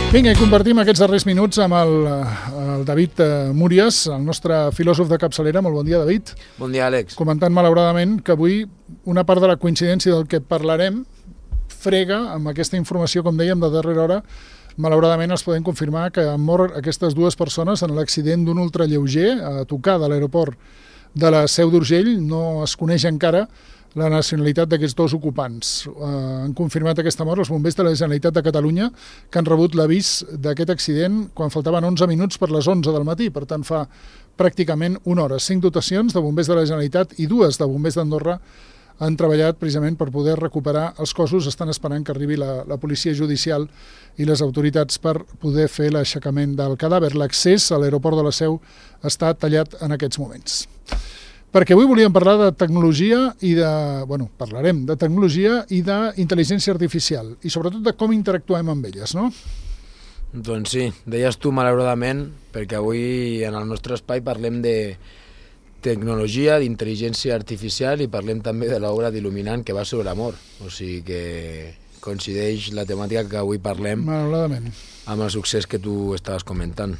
Vinga, i compartim aquests darrers minuts amb el David Múries, el nostre filòsof de capçalera. Molt bon dia, David. Bon dia, Àlex. Comentant malauradament que avui una part de la coincidència del que parlarem frega amb aquesta informació, com dèiem, de darrera hora. Malauradament els podem confirmar que han mort aquestes dues persones en l'accident d'un ultralleuger a tocar de l'aeroport de la Seu d'Urgell. No es coneix encara la nacionalitat d'aquests dos ocupants. Han confirmat aquesta mort els bombers de la Generalitat de Catalunya, que han rebut l'avís d'aquest accident quan faltaven 11 minuts per les 11 del matí. Per tant, fa pràcticament una hora. 5 dotacions de bombers de la Generalitat i 2 de bombers d'Andorra han treballat precisament per poder recuperar els cossos. Estan esperant que arribi la policia judicial i les autoritats per poder fer l'aixecament del cadàver. L'accés a l'aeroport de la Seu està tallat en aquests moments. Perquè avui volíem parlar de tecnologia parlarem de tecnologia i d'intel·ligència artificial i sobretot de com interactuem amb elles, no? Doncs sí, deies tu malauradament, perquè avui en el nostre espai parlem de tecnologia, d'intel·ligència artificial i parlem també de l'obra d'Il·luminant que va sobre l'amor. O sigui que coincideix la temàtica que avui parlem malauradament amb el succés que tu estaves comentant.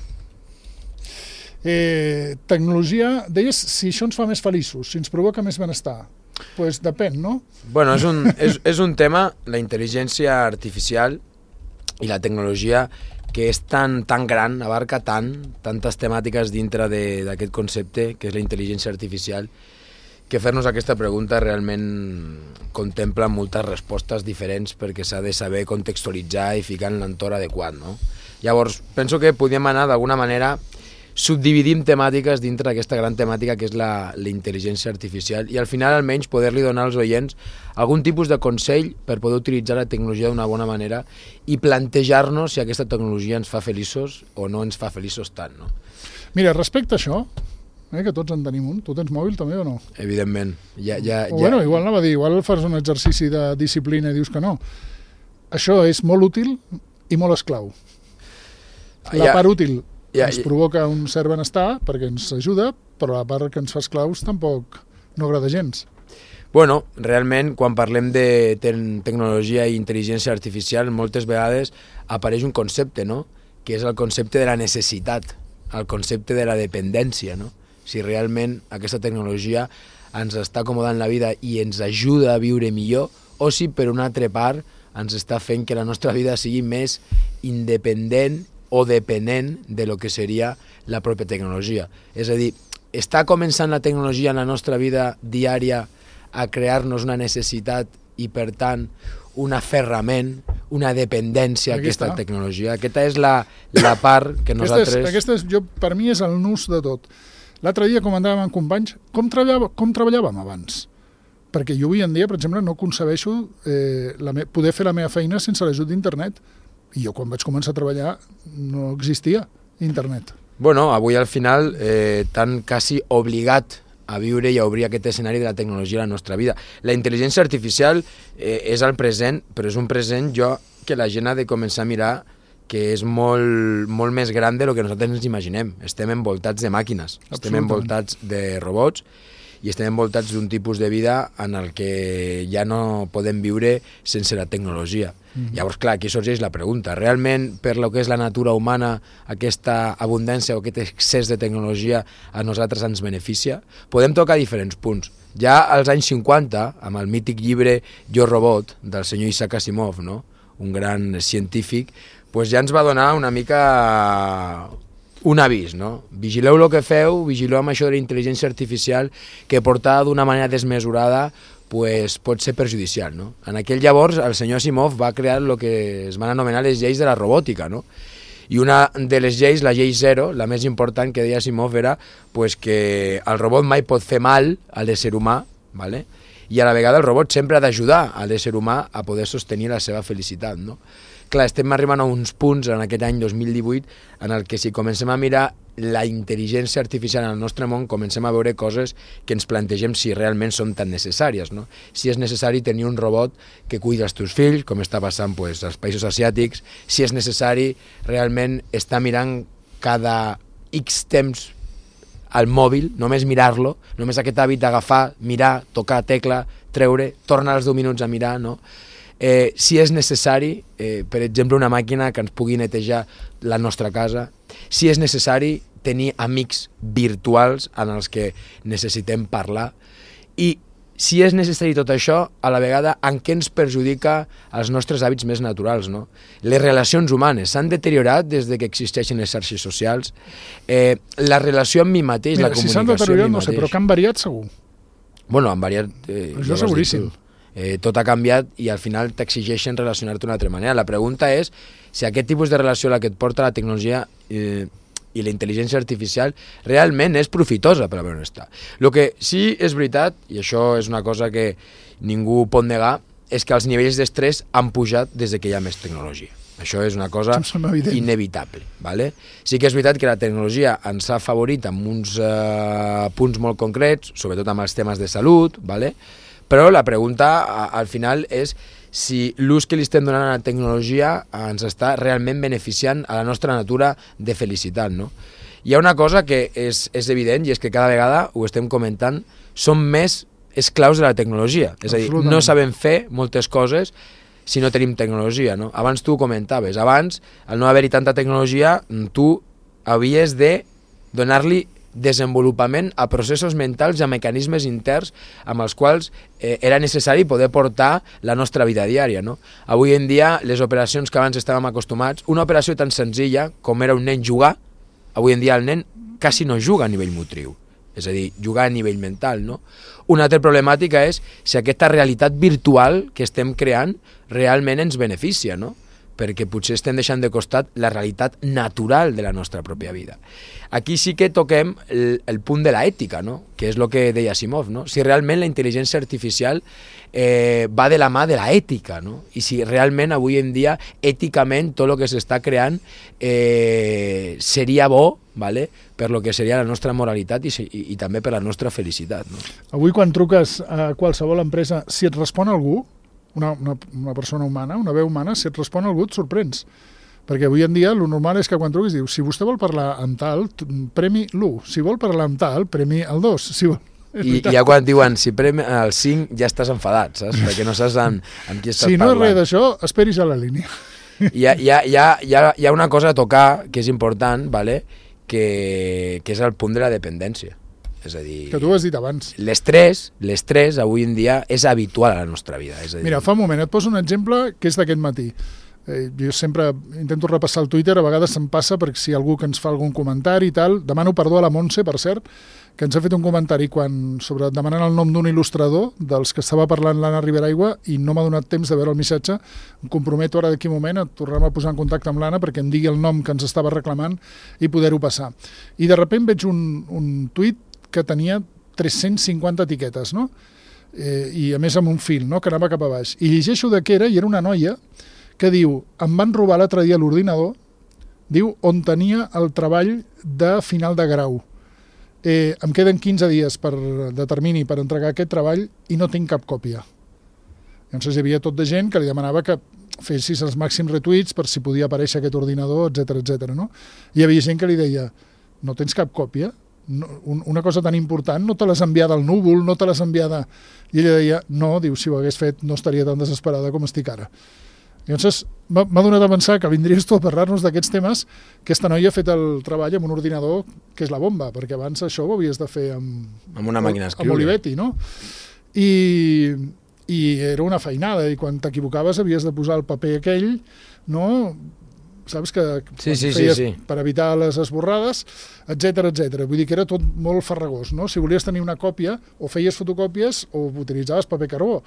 Tecnologia, deies si això ens fa més feliços, si ens provoca més benestar. Doncs depèn, no? Bueno, és un tema, la intel·ligència artificial i la tecnologia, que és tan gran, abarca tantes temàtiques dintre d'aquest concepte, que és la intel·ligència artificial, que fer-nos aquesta pregunta realment contempla moltes respostes diferents perquè s'ha de saber contextualitzar i ficar en l'entorn adequat, no? Llavors, penso que podíem anar d'alguna manera subdividim temàtiques dintre d'aquesta gran temàtica que és la intel·ligència artificial i al final almenys poder-li donar als oients algun tipus de consell per poder utilitzar la tecnologia d'una bona manera i plantejar-nos si aquesta tecnologia ens fa feliços o no ens fa feliços tant, no? Mira, respecte a això, que tots en tenim un, tu tens mòbil també o no? Evidentment. Bueno, igual anava a dir, igual fas un exercici de disciplina i dius que no. Això és molt útil i molt esclau. La part útil ens provoca un cert benestar perquè ens ajuda, però la part que ens fa esclaus tampoc no agrada gens. Bueno, realment, quan parlem de tecnologia i intel·ligència artificial, moltes vegades apareix un concepte, no?, que és el concepte de la necessitat, el concepte de la dependència, no? Si realment aquesta tecnologia ens està acomodant la vida i ens ajuda a viure millor, o si per una altra part ens està fent que la nostra vida sigui més independent o depenent de lo que seria la pròpia tecnologia. És a dir, està començant la tecnologia en la nostra vida diària a crear-nos una necessitat i, per tant, un aferrament, una dependència a aquesta tecnologia. Aquesta és la part que nosaltres... Per mi és el nus de tot. L'altre dia comentàvem amb companys com treballàvem abans. Perquè jo avui en dia, per exemple, no concebeixo poder fer la meva feina sense l'ajut d'internet. I jo quan vaig començar a treballar no existia internet. Bueno, avui al final t'han quasi obligat a viure i a obrir aquest escenari de la tecnologia a la nostra vida. La intel·ligència artificial és el present, però és un present que la gent ha de començar a mirar que és molt més gran del que nosaltres ens imaginem. Estem envoltats de màquines, estem envoltats de robots i estem envoltats d'un tipus de vida en el que ja no podem viure sense la tecnologia. Llavors, clar, aquí sorgeix la pregunta. Realment, per lo que és la natura humana, aquesta abundància o aquest excés de tecnologia a nosaltres ens beneficia? Podem tocar diferents punts. Ja als anys 50, amb el mític llibre Jo Robot, del senyor Isaac Asimov, no?, un gran científic, pues ja ens va donar una mica un avís, no? Vigileu el que feu, vigileu amb això de la intel·ligència artificial, que portada d'una manera desmesurada pues, pot ser perjudicial, no? En aquell llavors el senyor Asimov va crear el que es van anomenar les lleis de la robòtica, no? I una de les lleis, la llei 0, la més important que deia Asimov era pues, que el robot mai pot fer mal a l'ésser humà, ¿vale? I a la vegada el robot sempre ha d'ajudar a l'ésser humà a poder sostenir la seva felicitat, no? Clar, estem arribant a uns punts en aquest any 2018 en el que si comencem a mirar la intel·ligència artificial en el nostre món, comencem a veure coses que ens plantegem si realment són tan necessàries, no? Si és necessari tenir un robot que cuida els teus fills, com està passant pues, als països asiàtics, si és necessari realment estar mirant cada X temps al mòbil, només mirar-lo, només aquest hàbit d'agafar, mirar, tocar tecla, treure, tornar als 10 minuts a mirar, no? si és necessari, per exemple, una màquina que ens pugui netejar la nostra casa, si és necessari tenir amics virtuals en els que necessitem parlar, i si és necessari tot això, a la vegada, en què ens perjudica els nostres hàbits més naturals, no? Les relacions humanes s'han deteriorat des de que existeixen les xarxes socials. La relació amb mi mateix, la comunicació si s'han deteriorat, no sé, però que han variat segur. Bueno, han variat... Això seguríssim. Tot ha canviat i al final t'exigeixen relacionar-te d'una altra manera. La pregunta és si aquest tipus de relació a la que et porta la tecnologia i la intel·ligència artificial realment és profitosa per al benestar. El que sí és veritat, i això és una cosa que ningú pot negar, és que els nivells d'estrès han pujat des que hi ha més tecnologia. Això és una cosa inevitable. ¿vale? Sí que és veritat que la tecnologia ens ha afavorit amb uns punts molt concrets, sobretot amb els temes de salut, ¿vale? Però la pregunta al final és si l'ús que li estem donant a la tecnologia ens està realment beneficiant a la nostra natura de felicitat, no? Hi ha una cosa que és evident i és que cada vegada, ho estem comentant, som més esclaus de la tecnologia. És a dir, no sabem fer moltes coses si no tenim tecnologia, no? Abans tu ho comentaves, abans, al no haver-hi tanta tecnologia, tu havies de donar-li desenvolupament a processos mentals i a mecanismes interns amb els quals era necessari poder portar la nostra vida diària, no? Avui en dia, les operacions que abans estàvem acostumats, una operació tan senzilla com era un nen jugar, avui en dia el nen quasi no juga a nivell motriu, és a dir, jugar a nivell mental, no? Una altra problemàtica és si aquesta realitat virtual que estem creant realment ens beneficia, no? Perquè potser estem deixant de costat la realitat natural de la nostra pròpia vida. Aquí sí que toquem el punt de l'ètica, no? Que és el que deia Asimov, no? Si realment la intel·ligència artificial va de la mà de l'ètica, no? I si realment avui en dia, èticament, tot el que s'està creant seria bo, ¿vale? Per lo que seria la nostra moralitat i també per la nostra felicitat, no? Avui quan truques a qualsevol empresa, si et respon algú, una persona humana, una veu humana, si et respon algú et sorprens. Perquè avui en dia el normal és que quan truquis dius, si vostè vol parlar amb tal, premi l'1. Si vol parlar amb tal, premi el 2. Si vol... I ja quan diuen si premi el 5 ja estàs enfadat, saps? Perquè no saps amb qui estàs parlant. Si no és res d'això, esperis a la línia. Hi ha una cosa a tocar que és important, ¿vale? que és el punt de la dependència. És a dir, que tu ho has dit abans. L'estrès avui en dia és habitual a la nostra vida. És a dir... Mira, fa un moment, et poso un exemple que és d'aquest matí. Jo sempre intento repassar el Twitter, a vegades se'm passa perquè si hi ha algú que ens fa algun comentari i tal, demano perdó a la Montse, per cert, que ens ha fet un comentari sobre demanant el nom d'un il·lustrador dels que estava parlant l'Anna Riberaigua i no m'ha donat temps de veure el missatge. Em comprometo ara d'aquí un moment a tornar-me a posar en contacte amb l'Anna perquè em digui el nom que ens estava reclamant i poder-ho passar. I de sobte veig un tuit que tenia 350 etiquetes, no? I a més amb un fil, no? Que anava cap a baix. I llegeixo de què era, i era una noia que diu, em van robar l'altre dia l'ordinador, diu, on tenia el treball de final de grau. Em queden 15 dies de termini per entregar aquest treball i no tinc cap còpia. Llavors hi havia tot de gent que li demanava que fessis els màxims retuits per si podia aparèixer aquest ordinador, etc. No? I hi havia gent que li deia, no tens cap còpia? No, una cosa tan important, no te l'has enviada al núvol, no te l'has enviada... I ella deia, no, diu, si ho hagués fet no estaria tan desesperada com estic ara. Llavors m'ha donat a pensar que vindries tu a parlar-nos d'aquests temes, que aquesta noia ha fet el treball amb un ordinador que és la bomba, perquè abans això ho havies de fer amb una màquina d'escriure. Amb Olivetti, no? I era una feinada, i quan t'equivocaves havies de posar el paper aquell, no? Saps que feies per evitar les esborrades, etc. Vull dir que era tot molt farragós, no? Si volies tenir una còpia, o feies fotocòpies o utilitzaves paper carbó.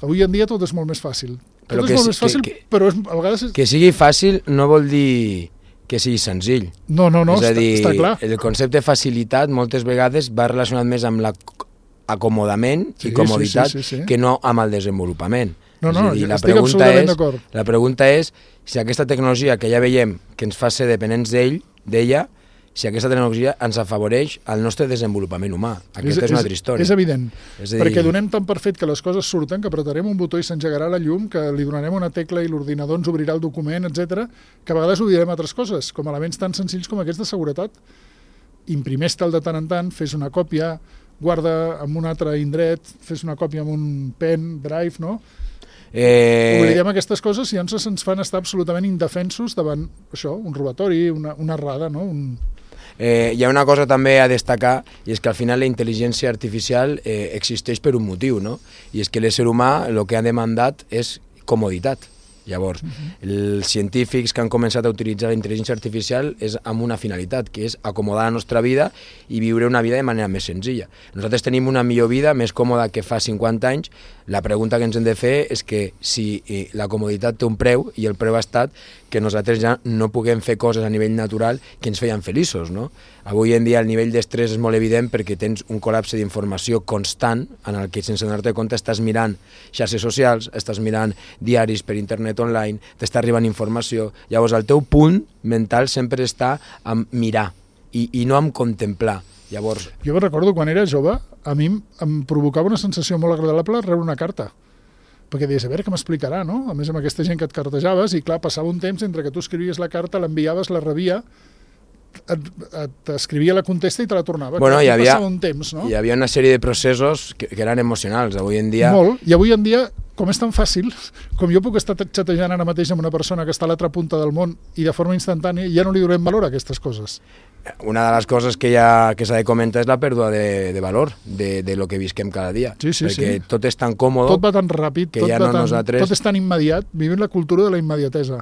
Avui en dia tot és molt més fàcil. Però a vegades... Que sigui fàcil no vol dir que sigui senzill. No, és a dir, està clar. El concepte de facilitat moltes vegades va relacionat més amb l'acomodament i comoditat que no amb el desenvolupament. No, estic absolutament d'acord. La pregunta és si aquesta tecnologia que ja veiem que ens fa ser dependents d'ella, si aquesta tecnologia ens afavoreix el nostre desenvolupament humà. Aquesta és una altra història. És evident, perquè donem tan per fet que les coses surten, que apretarem un botó i s'engegarà la llum, que li donarem una tecla i l'ordinador ens obrirà el document, etc, que a vegades oblidem altres coses, com elements tan senzills com aquests de seguretat. Imprimeix-te'l de tant en tant, fes una còpia, guarda en un altre indret, fes una còpia amb un pen, drive, no? Oblidem aquestes coses i llavors ens fan estar absolutament indefensos davant això, un robatori, una errada, no? Hi ha una cosa també a destacar, i és que al final la intel·ligència artificial existeix per un motiu, no? I és que l'ésser humà el que ha demandat és comoditat. Llavors, els científics que han començat a utilitzar la intel·ligència artificial és amb una finalitat, que és acomodar la nostra vida i viure una vida de manera més senzilla. Nosaltres tenim una millor vida, més còmoda que fa 50 anys. La pregunta que ens hem de fer és que si la comoditat té un preu, i el preu ha estat que nosaltres ja no puguem fer coses a nivell natural que ens feien feliços, no? Avui en dia el nivell d'estrès és molt evident perquè tens un col·lapse d'informació constant en el que sense donar-te compte estàs mirant xarxes socials, estàs mirant diaris per internet online, t'està arribant informació. Llavors el teu punt mental sempre està en mirar i no en contemplar. Llavors... Jo recordo quan era jove, a mi em provocava una sensació molt agradable rebre una carta, perquè deies, a veure què m'explicarà, no? A més, amb aquesta gent que et cartejaves, i clar, passava un temps entre que tu escrivies la carta, l'enviaves, la rebia, t'escrivia la contesta i te la tornava. Bueno, passava un temps, no? Hi havia una sèrie de processos que eren emocionals. Avui en dia... Molt, i avui en dia, com és tan fàcil, com jo puc estar xatejant ara mateix amb una persona que està a l'altra punta del món i de forma instantània, ja no li donem valor a aquestes coses. Una de les coses que s'ha de comentar és la pèrdua de valor de lo que visquem cada dia. Sí, perquè tot és tan còmode... Tot va tan ràpid, que tot és tan immediat. Vivim la cultura de la immediatesa.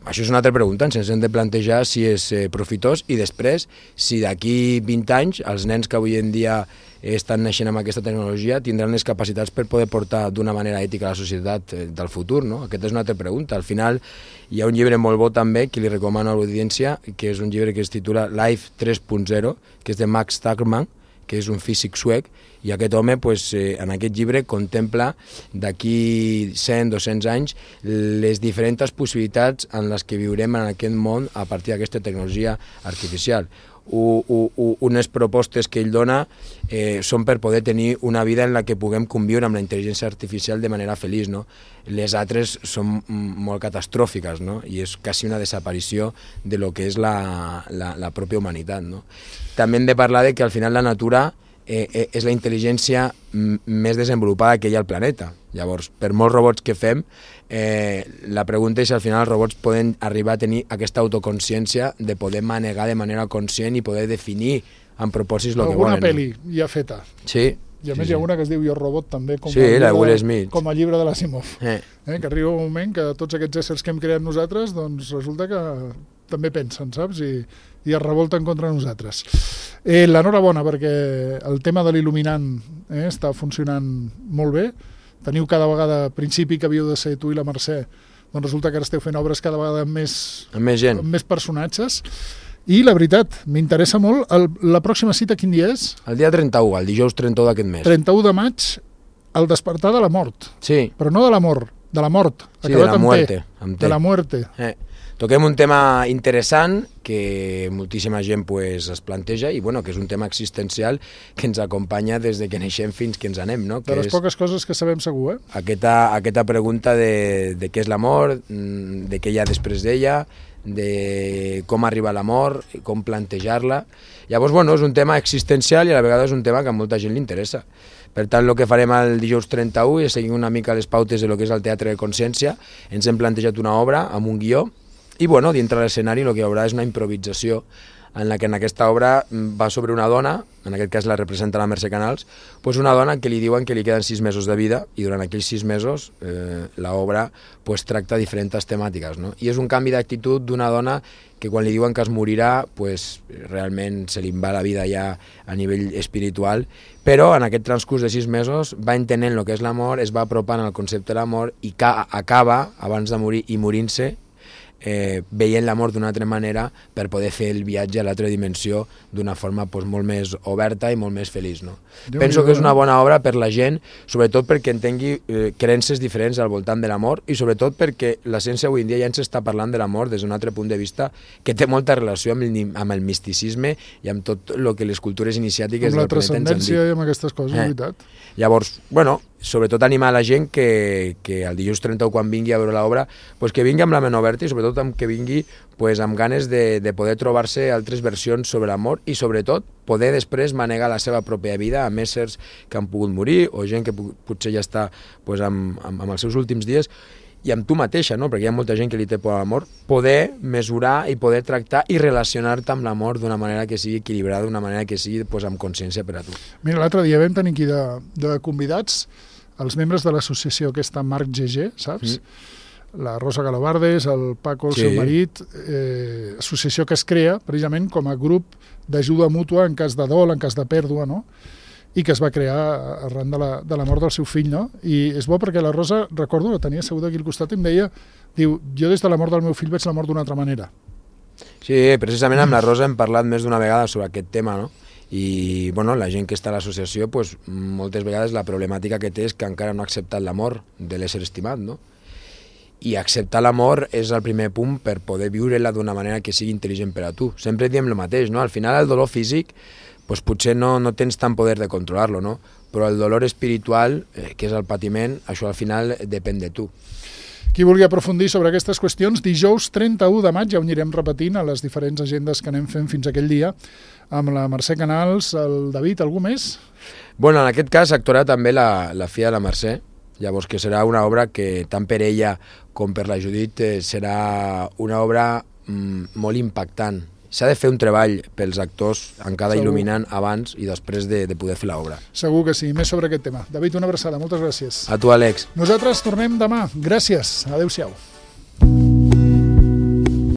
Això és una altra pregunta, ens hem de plantejar si és profitós i després, si d'aquí 20 anys els nens que avui en dia estan naixent amb aquesta tecnologia tindran les capacitats per poder portar d'una manera ètica a la societat del futur, no? Aquesta és una altra pregunta. Al final hi ha un llibre molt bo també que li recomano a l'audiència, que és un llibre que es titula Life 3.0, que és de Max Tegmark, que és un físic suec, i aquest home en aquest llibre contempla d'aquí 100-200 anys les diferents possibilitats en les que viurem en aquest món a partir d'aquesta tecnologia artificial. Unes propostes que ell dona són per poder tenir una vida en la que puguem conviure amb la intel·ligència artificial de manera feliç, no? Les altres són molt catastròfiques, no? I és quasi una desaparició de lo que és la pròpia humanitat, no? També hem de parlar de que al final la natura és la intel·ligència més desenvolupada que hi ha al planeta. Llavors, per molts robots que fem, la pregunta és si al final els robots poden arribar a tenir aquesta autoconsciència de poder manegar de manera conscient i poder definir amb propòsits el que volen. Alguna pel·li ja feta. Sí. I a més hi ha una que es diu Jo Robot també, com a llibre de l'Asimov. Que arriba un moment que tots aquests éssers que hem creat nosaltres, doncs resulta que també pensen, saps? I es revolten contra nosaltres. L'enhorabona, perquè el tema de l'il·luminant està funcionant molt bé. Teniu cada vegada, a principi que havíeu de ser tu i la Mercè, doncs resulta que ara esteu fent obres cada vegada amb més gent, amb més personatges. I la veritat, m'interessa molt, la pròxima cita quin dia és? El dia 31, el dijous 31 d'aquest mes. 31 de maig, el despertar de la mort. Sí. Però no de l'amor, de la mort. Sí, de la muerte. De la muerte. Toquem un tema interessant que moltíssima gent es planteja i que és un tema existencial que ens acompanya des de que neixem fins que ens anem, no? De les poques coses que sabem segur, Aquesta pregunta de què és l'amor, de què hi ha després d'ella, de com arriba a la mort, com plantejar-la. Llavors, és un tema existencial i a la vegada és un tema que a molta gent li interessa. Per tant, el que farem el dijous 31 és seguir una mica les pautes de lo que és el Teatre de Consciència. Ens hem plantejat una obra amb un guió i, dintre de l'escenari el que hi haurà és una improvisació en la que en aquesta obra va sobre una dona, en aquest cas la representa la Mercè Canals, una dona que li diuen que li queden 6 mesos de vida i durant aquells 6 mesos l'obra tracta diferents temàtiques, no? I és un canvi d'actitud d'una dona que quan li diuen que es morirà realment se li va la vida ja a nivell espiritual, però en aquest transcurs de 6 mesos va entenent el que és l'amor, es va apropant al concepte de l'amor i acaba, abans de morir i morint-se, veient l'amor d'una altra manera per poder fer el viatge a l'altra dimensió d'una forma molt més oberta i molt més feliç, no? Penso que és una bona obra per la gent, sobretot perquè entengui creences diferents al voltant de l'amor i sobretot perquè la ciència avui en dia ja ens està parlant de l'amor des d'un altre punt de vista que té molta relació amb el misticisme i amb tot el que les cultures iniciàtiques amb la transcendència i amb aquestes coses, veritat. Llavors, sobretot animar la gent que el dilluns 31 quan vingui a veure l'obra, pues que vingui amb la ment oberta i sobretot que vingui pues, amb ganes de poder trobar-se altres versions sobre l'amor i sobretot poder després manegar la seva pròpia vida amb éssers que han pogut morir o gent que potser ja està pues, amb els seus últims dies i amb tu mateixa, no? Perquè hi ha molta gent que li té por a l'amor, poder mesurar i poder tractar i relacionar-te amb l'amor d'una manera que sigui equilibrada, d'una manera que sigui pues, amb consciència per a tu. Mira, l'altre dia vam tenir aquí de convidats els membres de l'associació aquesta Marc GG, saps? La Rosa Galobardes, el Paco, el seu marit, associació que es crea precisament com a grup d'ajuda mútua en cas de dol, en cas de pèrdua, no? I que es va crear arran de la mort del seu fill, no? I és bo perquè la Rosa, recordo, la tenia asseguda aquí al costat i em deia, diu, jo des de la mort del meu fill veig la mort d'una altra manera. Sí, precisament amb la Rosa hem parlat més d'una vegada sobre aquest tema, no? I bueno, la gent que està a l'associació, pues, moltes vegades la problemàtica que té és que encara no ha acceptat la mort de l'ésser estimat, no? I acceptar l'amor és el primer punt per poder viure-la d'una manera que sigui intel·ligent per a tu. Sempre diem el mateix, no? Al final el dolor físic pues potser no tens tant poder de controlar-lo, no? Però el dolor espiritual, que és el patiment, això al final depèn de tu. Qui vulgui aprofundir sobre aquestes qüestions, dijous 31 de maig, ja ho anirem repetint a les diferents agendes que anem fent fins aquell dia, amb la Mercè Canals, el David, algú més? Bueno, en aquest cas actuarà també la filla de la Mercè, llavors que serà una obra que tant per ella com per la Judit serà una obra molt impactant. S'ha de fer un treball pels actors encara il·luminant abans i després de poder fer l'obra. Segur que sí, més sobre aquest tema. David, una abraçada, moltes gràcies. A tu, Àlex. Nosaltres tornem demà. Gràcies. Adéu-siau.